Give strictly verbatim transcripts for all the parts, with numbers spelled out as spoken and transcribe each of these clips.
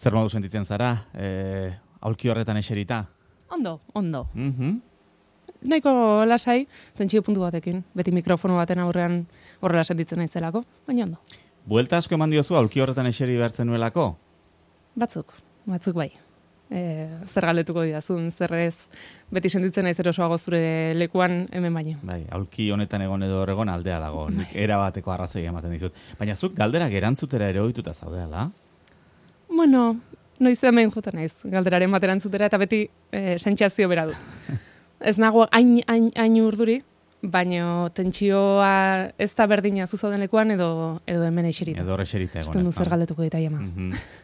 Zer modu sentitzen zara, e, aulki horretan eserita? Ondo, ondo. Mm-hmm. Nahiko lasai, tentsio puntu batekin, beti mikrofono baten aurrean horrela sentitzen naizelako, baina ondo. Buelta asko eman diozu aulki horretan eseri behartzen nuelako? Batzuk, batzuk bai. E, zer galdetuko didazun, zer ez, beti sentitzen naiz erosoago zure lekuan hemen baino. Bai, aulki honetan egon edo horregon aldea dago, nik erabateko arrazoi ematen dizut. Baina zuk galderak erantzutera ere ohituta zaudeala? Bueno, noiz hemen jota naiz, galderaren bat erantzutera eta beti e, sentsazio bera dut. Ez nago hain, hain, hain urduri, baina tentsioa ez da berdina zuzauden lekuan edo, edo hemen eserita. Edo eserita egon. Esten du zer galdetuko eta jama. Mm-hmm.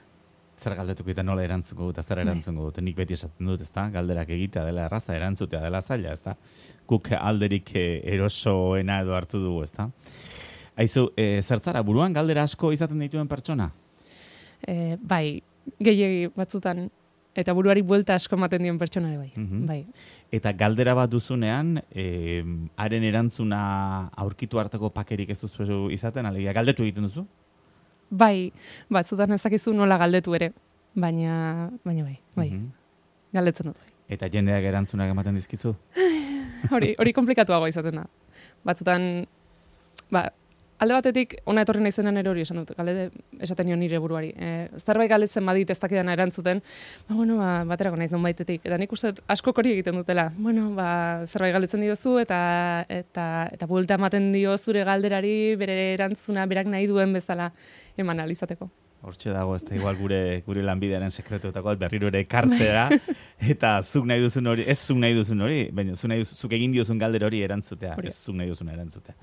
Zer galdetuko eta nola erantzungo dut, zer erantzungo dut. Nik beti esaten dut, ezta? Galderak egitea dela erraza, erantzutea dela zaila, ezta? Guk alderik erosoena edo hartu dugu, ezta? Aizu, e, zertzara, buruan galdera asko izaten dituen pertsona? E, bai, gehiegi batzutan, eta buruari buelta asko ematen dion pertsonare bai. Mm-hmm. Bai. Eta galdera bat duzunean, e, haren erantzuna aurkitu hartako pakerik ez duzu izaten, alegia, galdetu egiten duzu? Bai, batzutan ezakizu nola galdetu ere, baina, baina bai, bai, mm-hmm. galdetzen dut bai. Eta jendeak erantzunak ematen dizkizu? hori, hori komplikatuago izaten da. Batzutan, ba, alde batetik, ona etorri naizenan ere hori esan dut, galde esaten nion nire buruari. E, zerbait galdetzen badit ez dakidana erantzuten, ba, bueno, ba, baterako naiz non baitetik. Eta nik uste asko hori egiten dutela. Bueno, ba, zerbait galdetzen diozu eta eta eta buelta ematen dio zure galderari bere erantzuna berak nahi duen bezala eman alizateko. Hortxe dago, ez da igual gure, gure lanbidearen sekretuetako berriro ere kartzea, eta zuk nahi duzun hori, ez zuk nahi duzun hori, baina zuk, nahi duzun, zuk egin diozun galdera hori erantzutea, hori. Ez zuk nahi duzun erantzutea.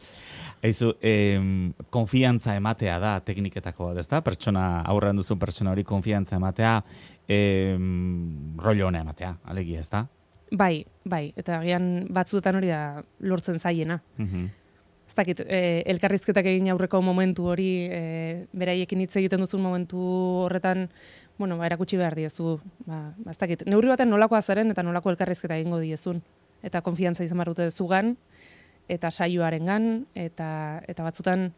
Eizu, em, konfiantza ematea da tekniketako bat, ezta? Pertsona, aurrean duzun pertsona hori konfiantza ematea, em, rollo hona ematea, alegia, ezta? Bai, bai, eta agian batzuetan hori da lortzen zaiena. Mhm. Ez dakit, e, elkarrizketak egin aurreko momentu hori, e, beraiekin hitz egiten duzun momentu horretan, bueno, ba, erakutsi behar diezu, ba, ba, ez dakit, neurri baten nolakoa zaren eta nolako elkarrizketa egingo diezun. Eta konfiantza izan behar dute zugan, eta saioarengan, eta, eta batzutan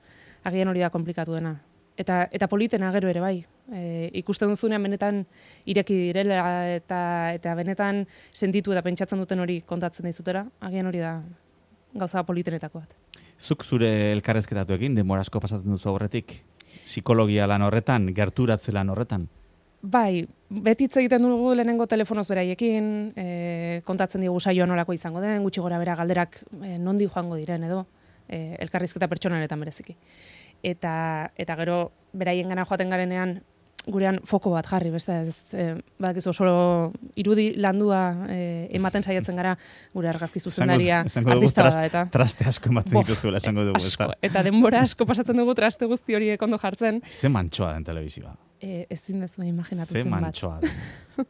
agian hori da komplikatu dena. Eta, eta politena gero ere bai. E, ikusten duzunean benetan ireki direla eta, eta benetan sentitu eta pentsatzen duten hori kontatzen dizutera, agian hori da gauza politenetako bat. Zuk zure elkarrezketatu egin, denbora asko pasatzen duzu horretik? Psikologia lan horretan, gerturatze lan horretan? Bai, beti hitz egiten dugu lehenengo telefonoz beraiekin, e, kontatzen digu saioa nolako izango den, gutxi gora bera galderak e, nondi joango diren edo, e, elkarrizketa pertsonaretan bereziki. Eta, eta gero beraien gana joaten garenean, gurean foko bat jarri, beste ez, e, badakizu solo irudi landua e, ematen saiatzen gara gure argazki zuzendaria artista bada eta traste asko ematen dituzuela esango dugu, ezta. Eta denbora asko pasatzen dugu traste guzti hori ondo jartzen. Ze mantsoa den telebizioa. E, ezin dezu imaginatu zen bat. Ze mantsoa den.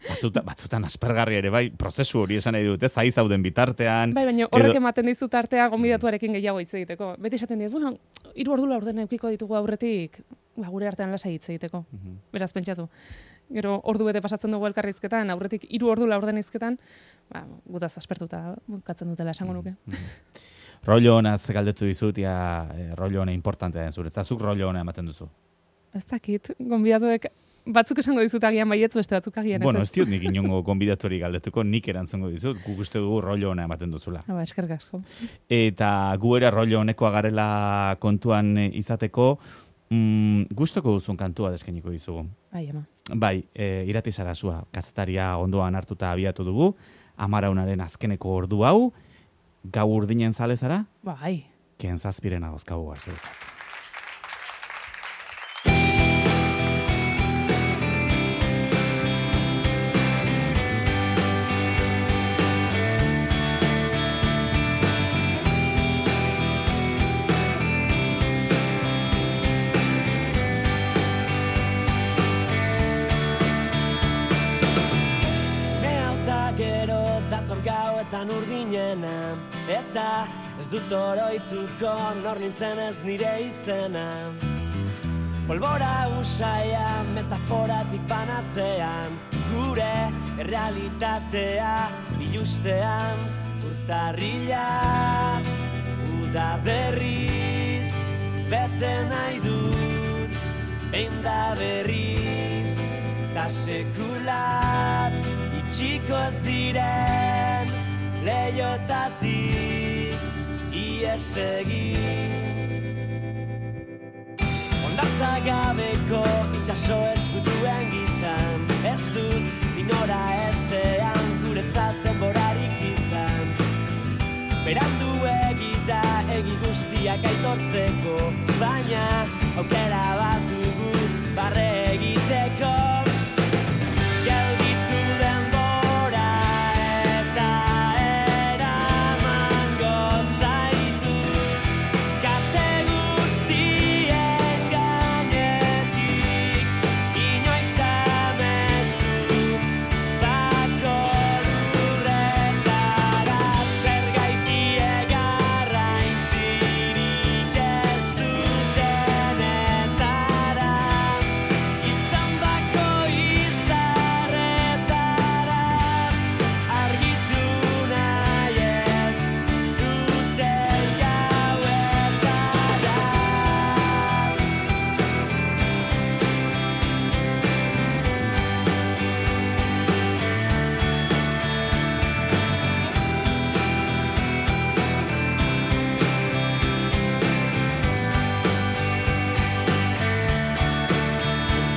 Batzutan, batzutan aspergarri ere, bai, prozesu hori esan nahi dut, ez, zai zauden bitartean. Bai, baina horrek edo ematen dizut artea gonbidatuarekin gehiago hitz egiteko. Beti esaten dit, bueno, hiru ordu laurden edukiko ditugu aurretik, ba, gure artean lasai hitz egiteko. Uh-huh. Beraz pentsatu. Gero ordu bete pasatzen dugu elkarrizketan, aurretik hiru ordu laurden hizketan, ba, gutaz aspertuta bukatzen dutela esango nuke. Uh-huh. Rollo honaz galdetu dizut, ja, e, rollo hona importantea den zuretzat. Zuk rollo hona ematen duzu? Ez dakit, gonbidatuek batzuk esango dizut agian baietz, beste batzuk agian ez. Bueno, ez diot nik inongo gonbidatori galdetuko, nik erantzungo dizut, guk uste dugu rollo hona ematen duzula. Ba, eskerrik asko. Eta gu ere rollo honekoa garela kontuan izateko, mm, gustoko duzun kantua deskeniko dizugu. Bai, ama. Bai, e, Irati Sarasua, kazetaria ondoan hartuta abiatu dugu, Amaraunaren azkeneko ordu hau, gau urdinen zale zara? Bai. Ken zazpiren agozkabu garzuretzat. Urdinena, eta ez dut oroituko nor nintzen ez nire izena. Polbora usaia metaforatik banatzean, gure errealitatea bilustean. Urtarrila, uda berriz, bete nahi dut, behin da berriz, ta sekula itxiko ez diren leiotatik ies egin. Hondartza gabeko itxaso eskutuen gizan, ez dut inora ezean guretzat denborarik izan. Berandu egita egi guztiak aitortzeko, baina aukera bat dugu barre egiteko. Gelditu denbora eta eramango zaitu kate guztien gainetik, inoiz amestu bako lurretara. Zergaiti egarraintzirik ez dutenetara, izan bako izarretara, argitu nahi ez duten gauetara.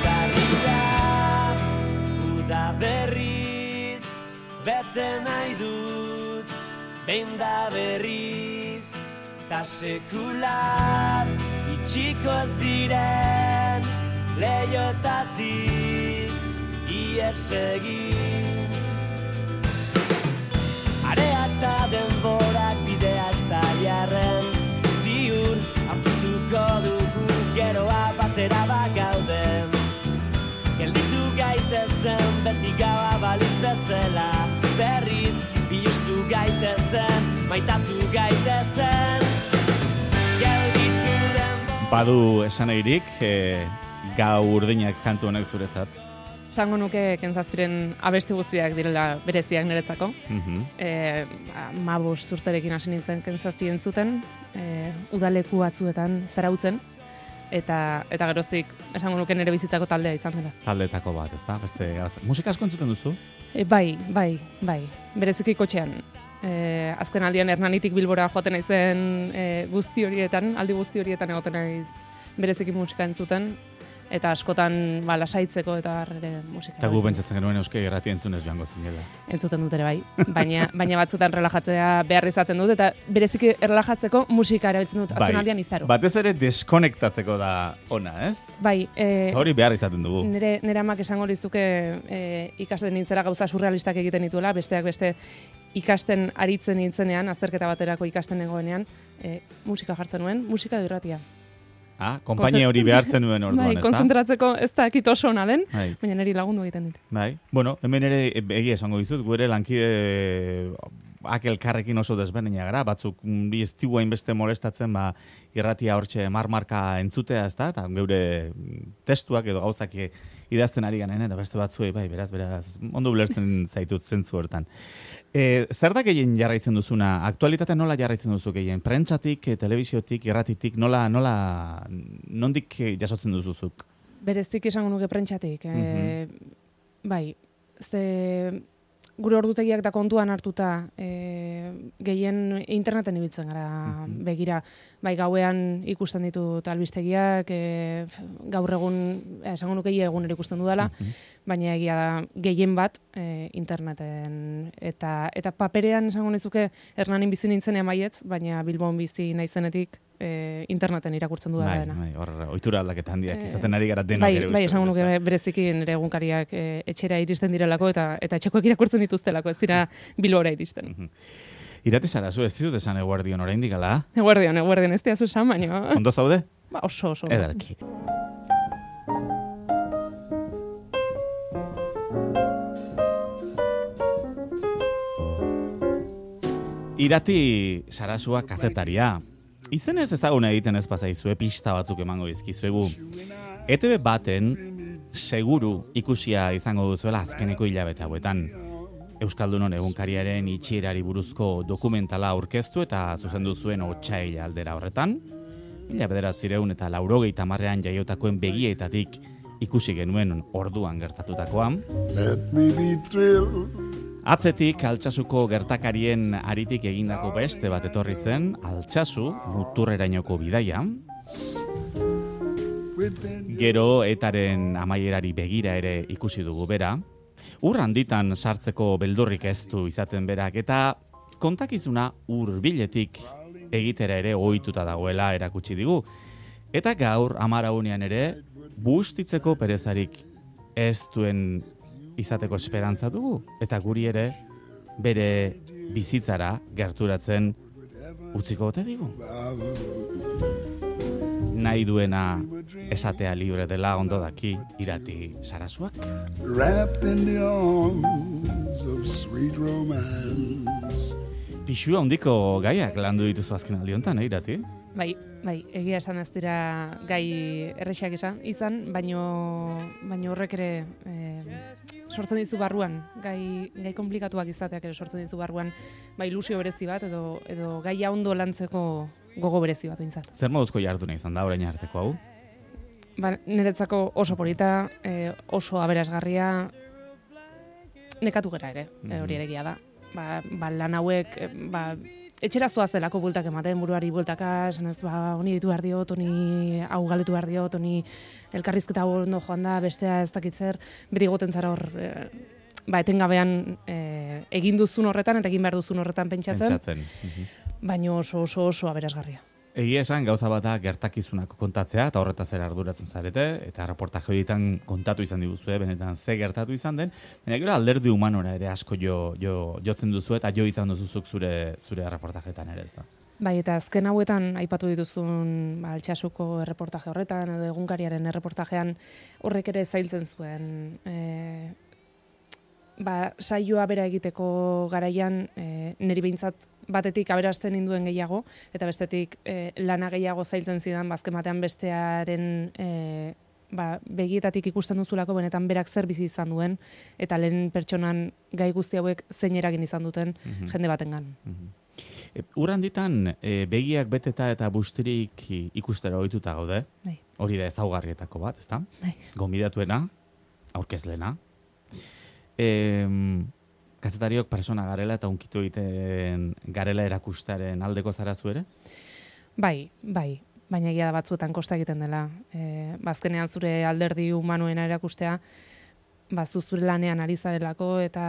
Barria, uda berriz, bete nahi dut, behin da berriz, ta sekula itxiko ez diren leiotatik ies egin. Areak ta denborak bidea ez da jarren, ziur aurkituko dugu geroa batera bagauden. Gelditu gaitezen beti gaua balitz bezala, berriz biluztu gaitezen, maitatu gaitezen. Gelditu denbora. Badu esan egirik, e, gau urdinak kantu honek zuretzat. Esango nuke Kentzazpiren abesti guztiak direla bereziak niretzako. Mhm. E, mabos urterekin hasi nintzen Kentzazpi entzuten, e, udaleku batzuetan zarautzen, eta eta geroztik esango nuke nire bizitzako taldea izan dela. Taldeetako bat, ezta? Beste gauza. Musika asko entzuten duzu? E, bai, bai, bai. Bereziki kotxean. E, azken aldian Hernanitik Bilbora joaten naizen e, guzti horietan, aldi guzti horietan egoten naiz bereziki musika entzuten, eta askotan ba, lasaitzeko eta ere musika. Eta gu pentsatzen genuen Euskal Irratia entzunez joango zinela. Entzuten dut ere bai, baina, baina batzutan relajatzea behar izaten dut, eta bereziki relajatzeko musika erabiltzen dut, azken aldian izaro. Batez ere deskonektatzeko da ona, ez? Bai, e, Hori behar izaten dugu. nire, nire amak esango lizuke e, ikasten nintzera gauza surrealistak egiten dituela, besteak beste ikasten aritzen nintzenean, azterketa baterako ikasten negoenean, e, musika jartzen nuen, musika edo irratia. Ah, konpainia hori behartzen nuen orduan, Bai, ezta? kontzentratzeko ez da ekit oso ona den, Bai. baina niri lagundu egiten dit. Bai. Bueno, hemen ere egia esango dizut, gure lankide akelkarrekin oso desberdina gara, batzuk mm, bi ez digu hainbeste molestatzen, ba, irratia hortxe marmarka entzutea, ezta? Eta geure testuak edo gauzak idazten ari ganen, eta beste batzuei, bai, beraz, beraz, ondo ulertzen zaitut zentzu hortan. E, zer da gehien jarraitzen duzuna? Aktualitatea nola jarraitzen duzu gehien? Prentsatik, eh, telebiziotik, irratitik, nola, nola, nondik eh, jasotzen duzuzuk? Bereztik esango nuke prentsatik. E, bai, ze gure ordutegiak da kontuan hartuta e, gehien interneten ibiltzen gara begira. Bai, gauean ikusten ditut albistegiak, e, gaur egun, esango nuke ia egun ere ikusten dudala, baina egia da gehien bat e, interneten. Eta, eta paperean esango nizuke Hernanin bizi nintzenean baietz, baina Bilbon bizi naizenetik e, interneten irakurtzen dudala Bai, dena. bai, hor ohitura aldaketa handiak izaten ari gara denok Bai, ere. bai, uste esango dut, nuke ezta? bereziki nire egunkariak e, etxera iristen direlako eta eta etxekoek irakurtzen dituztelako, ez dira Bilbora iristen. Irati zara, zu ez dizut esan eguerdion oraindik ala? Eguerdion, eguerdion, ez diazu esan, baina... Ondo zaude? Ba, oso, oso. Ederki. Irati Sarasua kazetaria. Izenez ezaguna egiten ez pazaizue, pista batzuk emango dizkizuegu. E Te Be baten seguru ikusia izango duzuela azkeneko hilabete hauetan. Euskaldunon egunkariaren itxierari buruzko dokumentala aurkeztu eta zuzendu zuen otsaila aldera horretan. Mila bederatziehun eta laurogeita hamarrean jaiotakoen begietatik ikusi genuen orduan gertatutakoan. Let me be thrilled. Atzetik Altsasuko gertakarien aritik egindako beste bat etorri zen, Altsasu muturrerainoko bidaia. Gero etaren amaierari begira ere ikusi dugu bera. Ur handitan sartzeko beldurrik ez du izaten berak, eta kontakizuna hurbiletik egitera ere ohituta dagoela erakutsi digu. Eta gaur amaraunean ere bustitzeko perezarik ez duen izateko esperantza dugu, eta guri ere bere bizitzara gerturatzen utziko ote digu. Nahi duena esatea libre dela ondo daki Irati Sarasuak. Wrapped in the arms of sweet romance. Pixua handiko gaiak landu dituzu azken aldi honetan, eh, Irati? Bai, bai, egia esan ez dira gai errexak izan, izan baino, baino horrek ere eh, sortzen dizu barruan, gai, gai komplikatuak izateak ere sortzen dizu barruan, bai ilusio berezi bat edo, edo gaia ondo lantzeko gogo berezi bat bintzat. Zer moduzko jarduna izan da orain arteko hau? Ba, niretzako oso polita, eh, oso aberasgarria, nekatu gera ere, mm -hmm. hori ere egia da. Ba, ba, lan hauek, eh, ba, etxera zoazelako bultak ematen, buruari bultaka, esan ez, ba, honi ditu behar diot, honi hau galetu behar diot, honi elkarrizketa hau ondo joan da, bestea ez dakit zer, beti goten zara hor, e, ba, etengabean e, egin duzun horretan, eta egin behar duzun horretan pentsatzen, Pentsatzen. Mhm. baina oso oso oso aberasgarria. Egia esan gauza bat da gertakizunak kontatzea, eta horretaz ere arduratzen zarete, eta reportaje horietan kontatu izan diguzue, benetan ze gertatu izan den, baina gero alderdi humanora ere asko jo, jo, jotzen duzu, eta jo izan duzuzuk zure, zure reportajetan ere, ez da. Bai, eta azken hauetan aipatu dituzun ba, Altsasuko erreportaje horretan, edo egunkariaren erreportajean horrek ere zailtzen zuen. E, ba, saioa bera egiteko garaian, e, niri behintzat batetik aberasten induen gehiago, eta bestetik e, lana gehiago zailtzen zidan, bazken batean bestearen e, ba, begietatik ikusten duzulako benetan berak zer bizi izan duen, eta lehen pertsonan gai guzti hauek zein eragin izan duten mm-hmm. jende batengan. Mm-hmm. E, Ur handitan e, begiak beteta eta bustirik ikustera ohituta gaude. Bai. Hori da ezaugarrietako bat, ezta? Bai. Gonbidatuena, aurkezlena. E, kazetariok persona garela eta unkitu egiten garela erakustaren aldeko zara zu ere? Bai, bai. Baina egia da batzuetan kosta egiten dela. E, bazkenean zure alderdi humanoena erakustea, bazu zure lanean ari zarelako, eta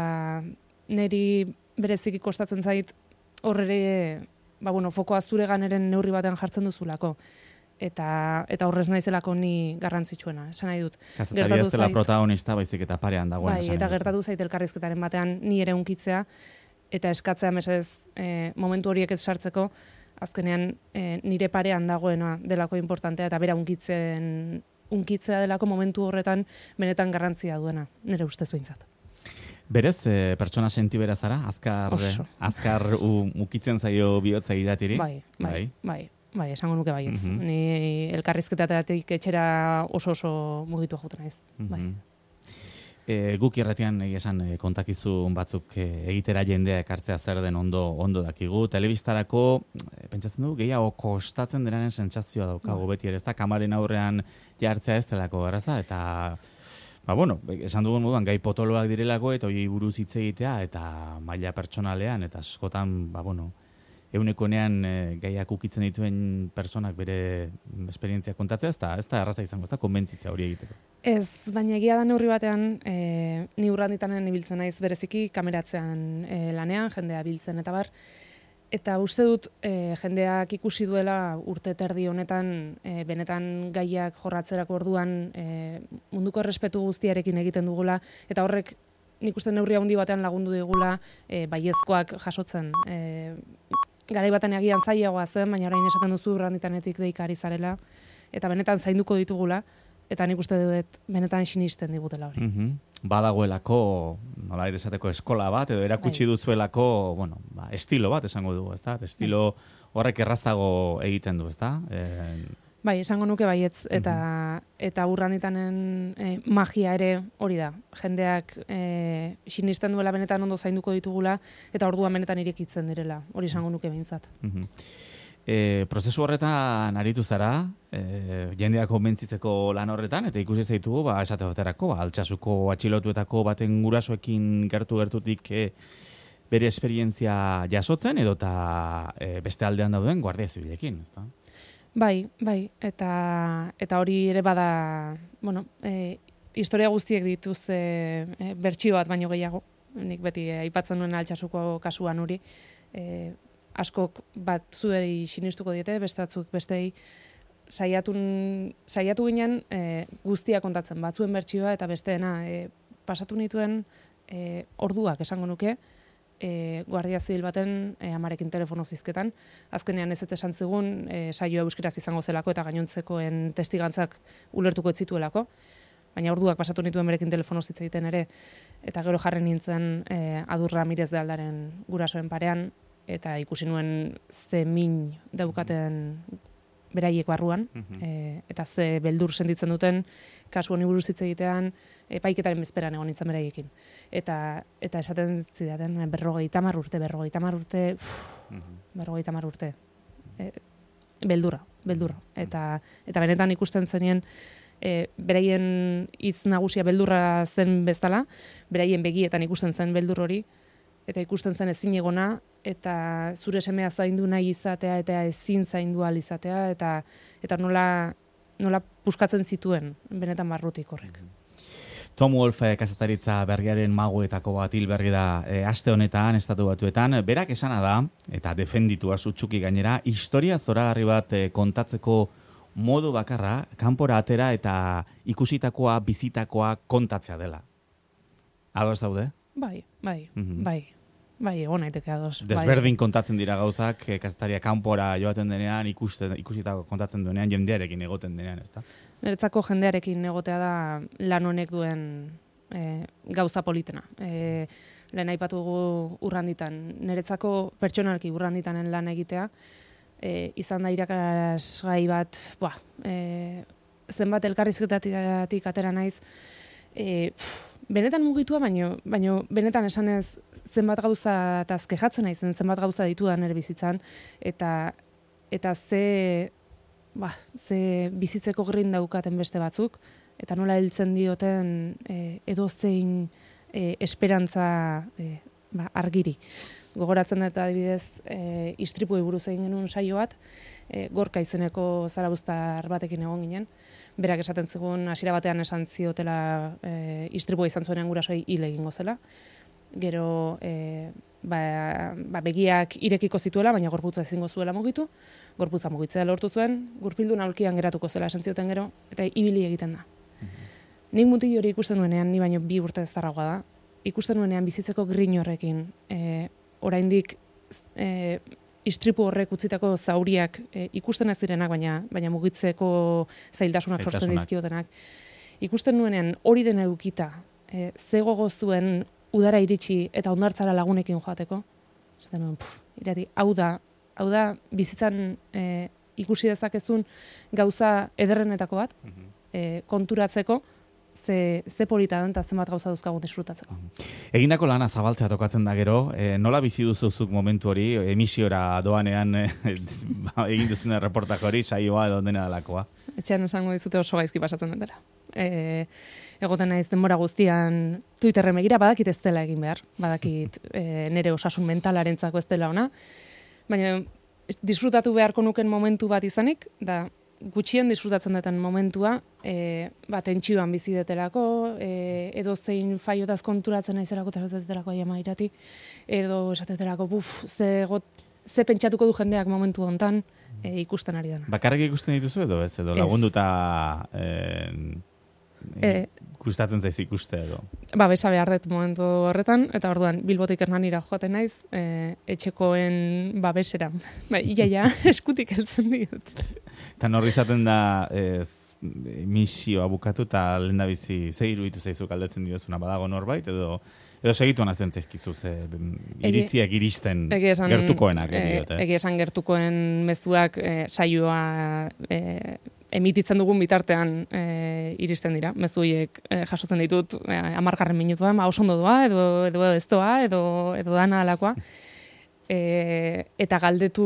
niri bereziki kostatzen zait horre, ba, bueno, fokoa zure ganeren neurri batean jartzen duzulako. Eta, eta horrez naizelako ni garrantzitsuena, esan nahi dut. Kazetaria ez dela protagonista, baizik eta parean dagoen. Bai, eta gertatu zait elkarrizketaren batean ni ere unkitzea, eta eskatzea mesedez e, momentu horiek ez sartzeko, azkenean e, nire parean dagoena delako importantea, eta bera unkitzen, unkitzea delako momentu horretan benetan garrantzia duena, nire ustez behintzat. Berez, e, pertsona sentibera zara? Azkar, azkar ukitzen zaio bihotza Iratiri? Bai, bai, bai. bai. Bai, esango nuke baietz. Mm-hmm. Ni elkarrizketatik etxera oso oso mugitu joten naiz. Mm-hmm. Bai. E, guk irratian esan e, kontakizun batzuk e, egitera jendea ekartzea zer den ondo ondo dakigu. Telebistarako e, pentsatzen du gehiago kostatzen denaren sentsazioa daukagu beti ere, ezta kamaren aurrean jartzea ez delako erraza, eta ba bueno, esan dugun moduan gai potoloak direlako eta hori buruz hitz egitea eta maila pertsonalean eta askotan ba bueno, eunekonean e, gaiak ukitzen dituen personak bere esperientzia kontatzea, ez da, ez da erraza izango, ez da konbentzitzea hori egiteko. Ez, baina egia da neurri batean, e, ni urranditanen ibiltzen naiz bereziki kameratzean e, lanean, jendea biltzen eta bar, eta uste dut e, jendeak ikusi duela urte terdi honetan, e, benetan gaiak jorratzerako orduan e, munduko errespetu guztiarekin egiten dugula, eta horrek nik uste neurri handi batean lagundu digula e, baiezkoak jasotzen. E, Garai batean agian zailagoa zen, baina orain esaten duzu urranditanetik deika ari zarela, eta benetan zainduko ditugula, eta nik uste dut benetan sinisten digutela hori. Mm-hmm. Badagoelako, nola esateko eskola bat, edo erakutsi bai. Duzuelako, bueno, ba, estilo bat esango dugu, ezta? Estilo horrek errazago egiten du, ezta? E... Bai, esango nuke baietz, eta, mm-hmm. eta urranditanen e, magia ere hori da. Jendeak e, sinisten duela benetan ondo zainduko ditugula, eta orduan benetan irekitzen direla. Hori esango nuke behintzat. Mm-hmm. E, prozesu horretan aritu zara, e, jendeak konbentzitzeko lan horretan, eta ikusi zaitugu, ba, esate baterako, ba, Altsasuko atxilotuetako baten gurasoekin gertu-gertutik e, bere esperientzia jasotzen, edota e, beste aldean dauden guardia zibilekin, ezta? Bai, bai, eta eta hori ere bada, bueno, e, historia guztiek dituzte e, bertsio bat baino gehiago. Nik beti e, aipatzen nuen Altsasuko kasuan hori, e, askok bat zuei sinistuko diete, beste batzuk bestei saiatu saiatu ginen e, guztia kontatzen, batzuen bertsioa eta besteena e, pasatu nituen e, orduak esango nuke, e, guardia zibil baten e, amarekin telefono zizketan. Azkenean ez eta esan zigun e, saioa euskeraz izango zelako eta gainontzekoen testigantzak ulertuko ez zituelako. Baina orduak pasatu nituen berekin telefono zitza egiten ere, eta gero jarri nintzen e, Adur Ramirez de Aldaren gurasoen parean, eta ikusi nuen ze min daukaten beraiek barruan, e, eta ze beldur sentitzen duten kasu honi buruz hitz egitean epaiketaren bezperan egon nintzen beraiekin. Eta eta esaten zidaten berrogeita hamar urte, berrogeita hamar urte, berrogeita hamar urte. E, beldurra, beldurra. Eta, eta benetan ikusten zenien e, beraien hitz nagusia beldurra zen bezala, beraien begietan ikusten zen beldur hori, eta ikusten zen ezin egona, eta zure semea zaindu nahi izatea, eta ezin zaindu ahal izatea, eta, eta nola, nola puskatzen zituen, benetan barrutik horrek. Tom Wolfe kazetaritza berriaren magoetako bat hil berri da e, aste honetan, Estatu Batuetan, berak esana da, eta defenditua sutsuki gainera, historia zoragarri bat e, kontatzeko modu bakarra, kanpora atera eta ikusitakoa, bizitakoa kontatzea dela. Ados daude? Bai, bai, mm-hmm. bai. Bai, egon naiteke ados. Desberdin bai. Kontatzen dira gauzak, e, kazetaria kanpora joaten denean, ikusten, ikusitako kontatzen duenean, jendearekin egoten denean, ezta? Niretzako jendearekin egotea da lan honek duen e, gauza politena. E, lehen aipatugu urranditan. Niretzako pertsonalki urranditanen lan egitea, e, izan da irakasgai bat, buah, e, zenbat elkarrizketatik atera naiz, e, pff, benetan mugitua, baino, baino benetan esanez zenbat gauza eta azkejatzen naizen, zenbat gauza ditudan ere bizitzan, eta eta ze, ba, ze bizitzeko grin daukaten beste batzuk, eta nola heltzen dioten e, edozein e, esperantza e, ba, argiri. Gogoratzen dut adibidez, e, istripuei buruz egin genuen saio bat, e, Gorka izeneko zarabuztar batekin egon ginen, berak esaten zigun hasiera batean esan ziotela e, istripua izan zuenean gurasoi hil egingo zela. Gero e, ba, ba, begiak irekiko zituela, baina gorputza ezingo zuela mugitu, gorputza mugitzea lortu zuen, gurpildun aulkian geratuko zela esan zioten gero, eta ibili egiten da. Mm-hmm. Nik mutil hori ikusten nuenean, ni baino bi urte eztarragoa da, ikusten nuenean bizitzeko grin horrekin, e, oraindik e, istripu horrek utzitako zauriak e, ikusten ez direnak, baina, baina mugitzeko zailtasunak sortzen dizkiotenak. Ikusten nuenean hori dena eukita, e, ze gogo zuen udara iritsi eta hondartzara lagunekin joateko. Zaten nuen, puf, irati, hau da, hau da bizitzan e, ikusi dezakezun gauza ederrenetako bat, mm-hmm. e, konturatzeko, ze, ze polita den eta zenbat gauza duzkagun disfrutatzeko. Egindako lana zabaltzea tokatzen da gero, e, nola bizi duzuzuk momentu hori, emisiora doanean e, egin duzune reportak hori, saioa edo dena dalakoa? Etxean esango dizute oso gaizki pasatzen dutera. E, egoten naiz denbora guztian Twitterren begira, badakit ez dela egin behar, badakit e, nire osasun mentalarentzako ez dela ona, baina disfrutatu beharko nuken momentu bat izanik, da gutxien disfrutatzen duten momentua, e, ba, tentsioan bizi detelako, e, edo zein faiotaz konturatzen naizerako esatetelako aia mairati, edo esatetelako, buf, ze, got, ze pentsatuko du jendeak momentu hontan e, ikusten ari dena. Bakarrik ikusten dituzu edo ez, edo lagunduta e, e, gustatzen zaiz ikuste edo? Ba, besa behar dut momentu horretan, eta orduan Bilbotik Hernanira joaten naiz, e, etxekoen babesera. Ba, iaia, eskutik heltzen diot. Eta norri izaten da ez, misioa bukatu eta lehen da bizi ze iruditu zaizu galdetzen diozuna badago norbait, edo edo segituan azten zaizkizu ze iritziak iristen esan, gertukoenak. Egi esan gertukoen mezuak e, saioa e, emititzen dugun bitartean e, iristen dira. Mezuiek e, jasotzen ditut e, amargarren minutuan, ba, oso ondo doa, edo, edo ez doa, edo, edo dana alakoa. E, eta galdetu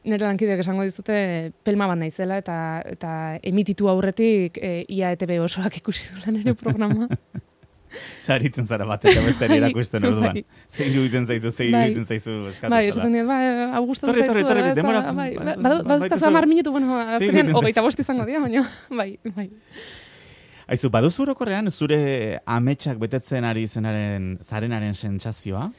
nire lankideak esango dizute pelma bat naizela eta eta emititu aurretik e, ia E T B osoak ikusi duela nire programa. Zaritzen zara bat, eta besteri erakusten orduan. Bai. Zein iruditzen zaizu, zein Bai. iruditzen zaizu eskatu Bai, zara. esaten dut, bai, Augusto Torri, zaizu. torri, torri, ez da, denbora- bai, ba- badu- ba- baduzkazu baituzu- hamar minutu, bueno, Zein azkenean iruditzen hogeita zaizu? bost izango dira, baina, bai, bai. Aizu, baduzu orokorrean zure ametsak betetzen ari zenaren, zarenaren sentsazioa?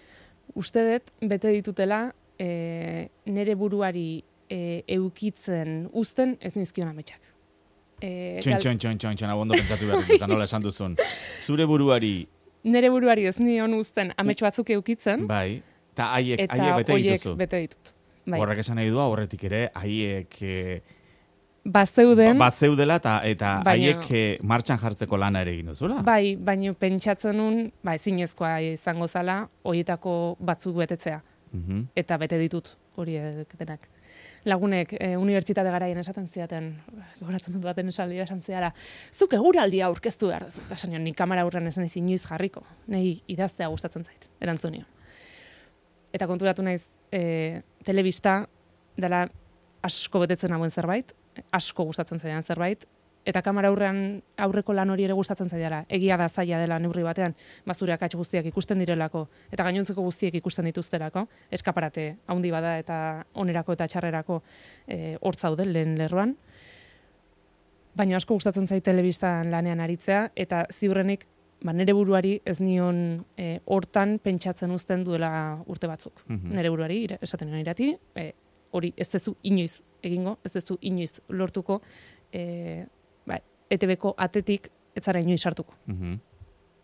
Uste dut, bete ditutela, e, nire buruari e, eukitzen uzten ez nizkion ametsak. E, Txon, gal- txon, txon, txon, txon, abondo pentsatu behar dut, eta nola esan duzun. Zure buruari, Nire buruari ez nion uzten amets batzuk eukitzen, bai, eta haiek, eta haiek bete horiek dituzu. bete ditut. Bai. Horrek esan nahi du, horretik ere, haiek eh, Bazeuden, ba, zeudela eta, eta Baina- haiek eh, martxan jartzeko lana ere egin duzula. bai, baina pentsatzen nun, ba, ezinezkoa izango zala, horietako batzuk betetzea. Mhm. Eta bete ditut horiek denak. Lagunek e, unibertsitate garaien esaten ziaten, goratzen dut baten esaldia esan ziala, zuk eguraldia aurkeztu behar duzu. Eta esan nion, ni kamera aurrean ez naiz inoiz jarriko. Nei idaztea gustatzen zait, erantzun nion. Eta konturatu naiz, e, telebista dela asko betetzen hauen zerbait, asko gustatzen zaidan zerbait, eta kamera aurrean aurreko lan hori ere gustatzen zaidala. Egia da zaila dela neurri batean, bazure akats guztiak ikusten direlako, eta gainontzeko guztiek ikusten dituzterako, eskaparate handi bada eta onerako eta txarrerako e, hor zaude lehen lerroan. Baina asko gustatzen zait telebistan lanean aritzea, eta ziurrenik ba, nire buruari ez nion e, hortan pentsatzen uzten duela urte batzuk. Mhm. Nire buruari, ira- esaten nion irati, e, hori ez dezu inoiz egingo, ez dezu inoiz lortuko, e, ba, E T B-ko atetik ez zara inoiz sartuko. Mhm.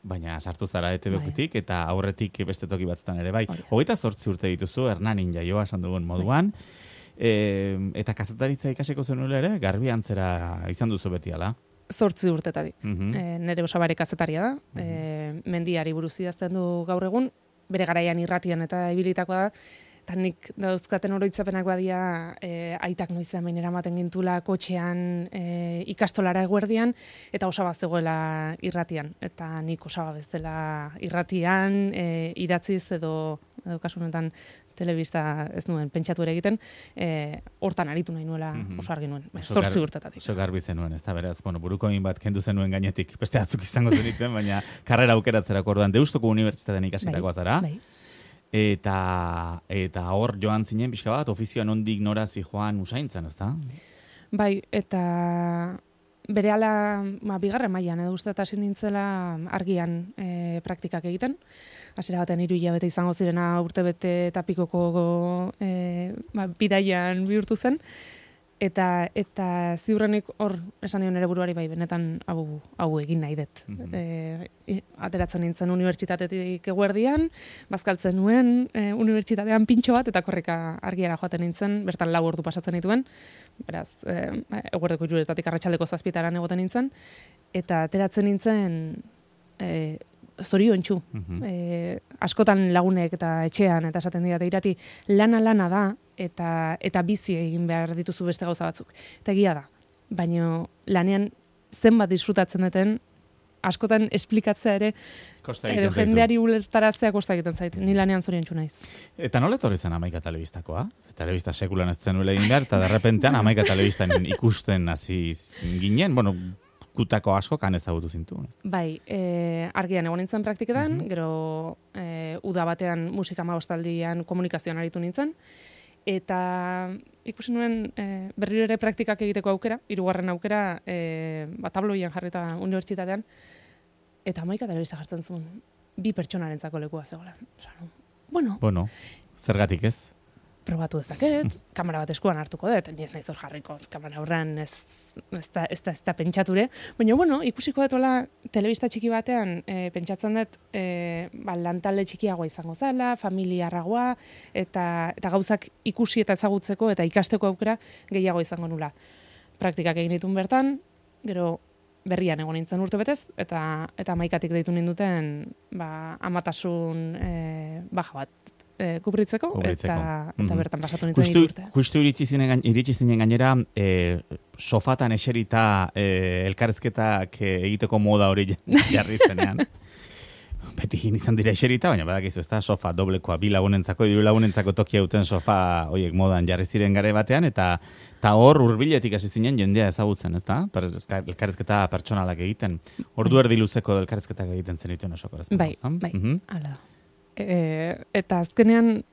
Baina sartu zara E T B-tik Bai. eta aurretik beste toki batzutan ere bai. Hori da. Hogeita zortzi urte dituzu, Hernanin jaioa esan dugun moduan, e, eta kazetaritza ikasiko zenuela ere, garbi antzera izan duzu beti ala. Zortzi urtetatik. Mhm. E, nere osabare kazetaria da, e, mendiari buruz idazten du gaur egun, bere garaian irratian eta ibilitakoa da, eta nik dauzkaten oroitzapenak badia e, aitak noizean behin eramaten gintula kotxean e, ikastolara eguerdian, eta osaba zegoela irratian. Eta nik osaba bezala irratian, e, idatziz edo, edo kasu honetan telebista ez nuen pentsatu ere egiten, e, hortan aritu nahi nuela Mhm. oso argi nuen, Oso zortzi gar- urtetatik. Oso garbi zenuen, ez da, beraz, bueno, buruko egin bat kendu zenuen gainetik, beste atzuk izango zenitzen, baina karrera aukeratzerako orduan Deustoko Unibertsitatean ikasitakoa zara, Bai. eta eta hor joan zinen pixka bat, ofizioan ondik nora zijoan usaintzen, ez da? Bai, eta berehala ba, bigarren mailan edo uste eta hasi nintzela argian e, praktikak egiten. Hasiera baten hiru hilabete izango zirena urtebete eta pikoko e, ba, bidaian bihurtu zen. Eta eta ziurrenik hor esan nion ere buruari bai benetan hau hau egin nahi dut. Mhm. E, i- ateratzen nintzen unibertsitatetik eguerdian, bazkaltzen nuen e, unibertsitatean pintxo bat eta korrika argiara joaten nintzen, bertan lau ordu pasatzen dituen. Beraz, e, eguerdeko hiruretatik arratsaldeko zazpitaran egoten nintzen eta ateratzen nintzen e, zoriontsu. Mhm. E, askotan lagunek eta etxean eta esaten didate irati lana lana da eta eta bizi egin behar dituzu beste gauza batzuk. Eta egia da. Baina lanean zenbat disfrutatzen duten askotan esplikatzea ere Kosta edo egiten zaizu. jendeari ulertaraztea kosta egiten zait. Ni lanean zoriontsu naiz. Eta nola etorri zen Amaika telebistakoa? Telebista sekulan ez zenuela egin behar, eta derrepentean Amaika telebistan ikusten hasi ginen, bueno, kutako asko kan ezagutu zintu. Bai, e, argian egon nintzen praktiketan, Mhm. gero e, uda batean musika hamabostaldian komunikazioan aritu nintzen, eta ikusi nuen e, berriro ere praktikak egiteko aukera, hirugarren aukera, e, ba, tabloian jarrita unibertsitatean, eta Amaika telebista jartzen zuen, bi pertsonarentzako lekua zegoela. Esan, bueno, Bueno, zergatik ez? probatu dezaket, kamera bat eskuan hartuko dut, ni ez naiz hor jarriko, kamera aurrean ez, ez, da, ez, da, ez da pentsature, baina bueno, ikusiko dut hola telebista txiki batean, e, pentsatzen dut e, ba, lantalde txikiagoa izango zala, familiarragoa, eta, eta gauzak ikusi eta ezagutzeko eta ikasteko aukera gehiago izango nula. Praktikak egin ditun bertan, gero berrian egon nintzen urte betez, eta, eta Amaikatik deitu ninduten ba, amatasun e, baja bat e, kubritzeko, Kubritzeko. eta, eta Mhm. bertan pasatu nintzen Justu, hiru urte. justu iritsi zinen, gain- iritsi zinen gainera, e, sofatan eserita e, elkarrezketak e, egiteko moda hori jarri zenean. beti izan dira eserita, baina badakizu, ez da, sofa doblekoa, bi lagunentzako, hiru lagunentzako tokia duten sofa, hoiek modan jarri ziren gare batean, eta eta hor hurbiletik hasi zinen jendea ezagutzen, ez da? Per, elkarrizketa pertsonalak egiten. Ordu erdi luzeko elkarrizketak egiten zenituen osoko. Bai, bai, mm-hmm. Hala. E, eta azkenean,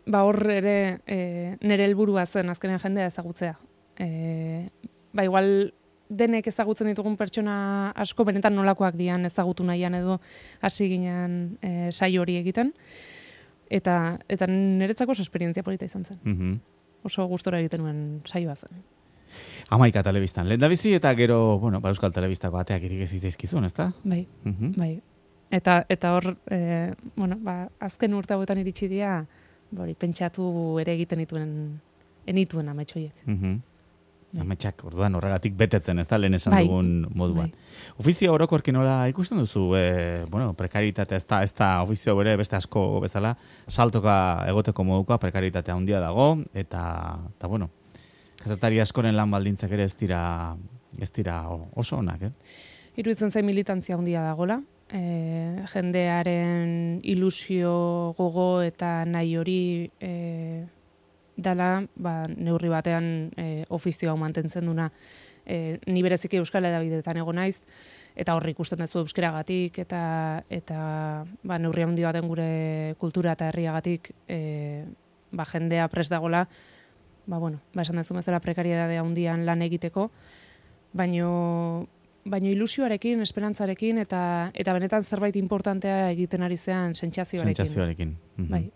ba hor ere e, nire helburua zen azkenean jendea ezagutzea. E, ba igual denek ezagutzen ditugun pertsona asko benetan nolakoak dian ezagutu nahian edo hasi ginen e, saio hori egiten. Eta eta niretzako oso esperientzia polita izan zen. Mm-hmm. Oso gustora egiten nuen saioa zen. Amaika telebistan. Lehendabizi eta gero, bueno, ba Euskal Telebistako ateak irigezi zaizkizun, ezta? Bai, mm-hmm. bai. Eta eta hor, e, bueno, ba azken urte hauetan iritsi dira, hori pentsatu ere egiten dituen enituen ametxoiek. Mhm. Ametxak, orduan horregatik betetzen, ez da, lehen esan bai, dugun moduan. Bai. Ofizio orokorki nola ikusten duzu, e, bueno, prekaritatea, ez da, ez da ofizio bere beste asko bezala, saltoka egoteko modukoa, prekaritatea handia dago, eta, eta bueno, kazetari askoren lan baldintzak ere ez dira, ez dira oso onak, eh? Iruditzen zain militantzia handia dagola, e, jendearen ilusio gogo eta nahi hori e, dala, ba, neurri batean e, ofizioa mantentzen duna. E, ni bereziki Euskal Hedabideetan egon naiz, eta horri ikusten duzu euskeragatik, eta, eta ba, neurri handi baten gure kultura eta herriagatik e, ba, jendea prest dagola, ba, bueno, ba, esan dezu bezala prekariedade handian lan egiteko, baino, baino ilusioarekin, esperantzarekin, eta, eta benetan zerbait importantea egiten ari zean sentsazioarekin. Sentsazioarekin. Mm-hmm. Bai.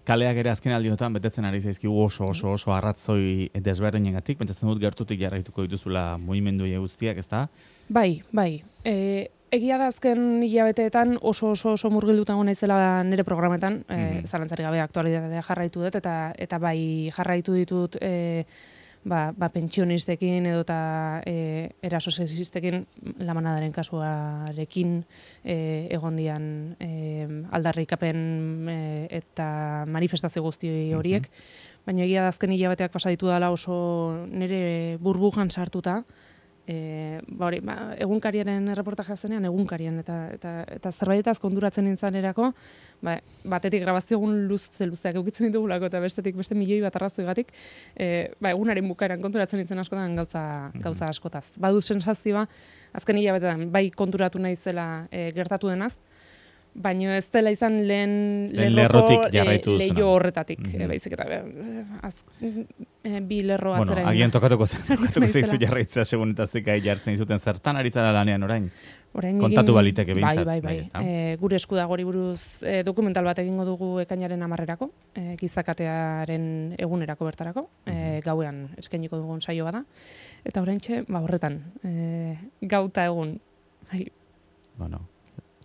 Kaleak ere azken aldiotan betetzen ari zaizkigu oso oso oso arratzoi desberdinengatik, pentsatzen dut gertutik jarraituko dituzula mugimendu guztiak, ezta? Bai, bai. E, egia da azken hilabeteetan oso oso oso murgilduta egon naizela nire programetan, mm-hmm. e, zalantzarik gabe aktualitatea jarraitu dut, eta eta bai jarraitu ditut e, ba, ba pentsionistekin edo eta e, eraso sexistekin lamanadaren kasuarekin e, egon dian e, aldarrikapen e, eta manifestazio guzti horiek, mm-hmm. baina egia da azken hilabeteak pasa ditu dela oso nire burbujan sartuta, E, ba hori, ba, egunkariaren erreportajea zenean egunkarian eta eta eta zerbaitaz konturatzen nintzen erako, ba, batetik grabazio egun luze luzeak eukitzen ditugulako eta bestetik beste milioi bat arrazoigatik, e, ba, egunaren bukaeran konturatzen nintzen askotan gauza gauza askotaz. Badu sensazioa azken hilabetean bai konturatu naizela e, gertatu denaz, baina ez dela izan lehen lerroko leio horretatik, mm-hmm. e, baizik eta e, az, e, bi lerro atzera. Bueno, agian tokatuko zen, tokatuko zeizu jarraitzea segun eta zekai jartzen izuten zertan ari zara lanean orain. Orain kontatu egin, baliteke bintzat. Bai, bai, bai. E, gure esku dago hori buruz e, dokumental bat egingo dugu ekainaren hamarrerako, e, gizakatearen egunerako bertarako, e, gauean eskainiko dugun saio bada. Eta oraintxe, ba horretan, e, gauta egun. Bai. Bueno,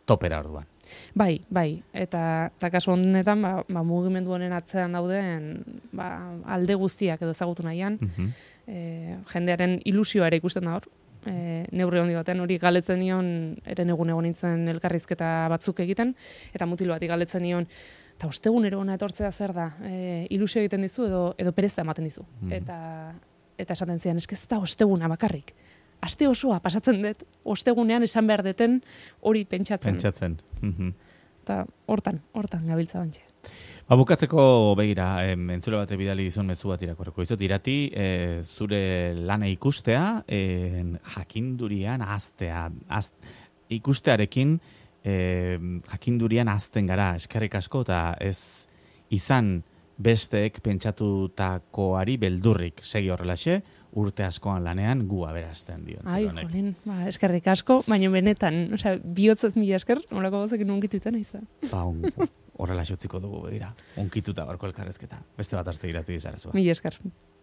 topera orduan. Bai, bai, eta, eta kasu honetan ba, ba, mugimendu honen atzean dauden ba, alde guztiak edo ezagutu nahian, mm-hmm. e, jendearen ilusioa ere ikusten da hor, e, neurri handi batean hori galetzen nion, eren egun egon nintzen elkarrizketa batzuk egiten, eta mutil bati galetzen nion, eta ostegunero hona etortzea zer da, e, ilusio egiten dizu edo, edo perezta ematen dizu. Mm-hmm. Eta, eta esaten zian, esk ez da osteguna bakarrik. Aste osoa pasatzen dut, ostegunean esan behar deten hori pentsatzen. Pentsatzen. Mm-hmm. Eta hortan, hortan gabiltza bantxe. Ba, bukatzeko begira, em, entzule bate bidali dizun mezu bat irakorreko. Izot, irati, e, zure lana ikustea, e, jakindurian aztea. Az, ikustearekin, e, jakindurian azten gara, eskerrik asko, eta ez izan besteek pentsatutakoari beldurrik segi horrelaxe, urte askoan lanean gu aberazten dio. Ai, jolin, ba, eskerrik asko, baina benetan, osea, bihotzez mila esker, nolako gozekin unkituetan izan. Ba, un, horrela xotziko dugu begira, unkituta barko elkarrezketa. Beste bat arte irati dizara zua. Mila esker.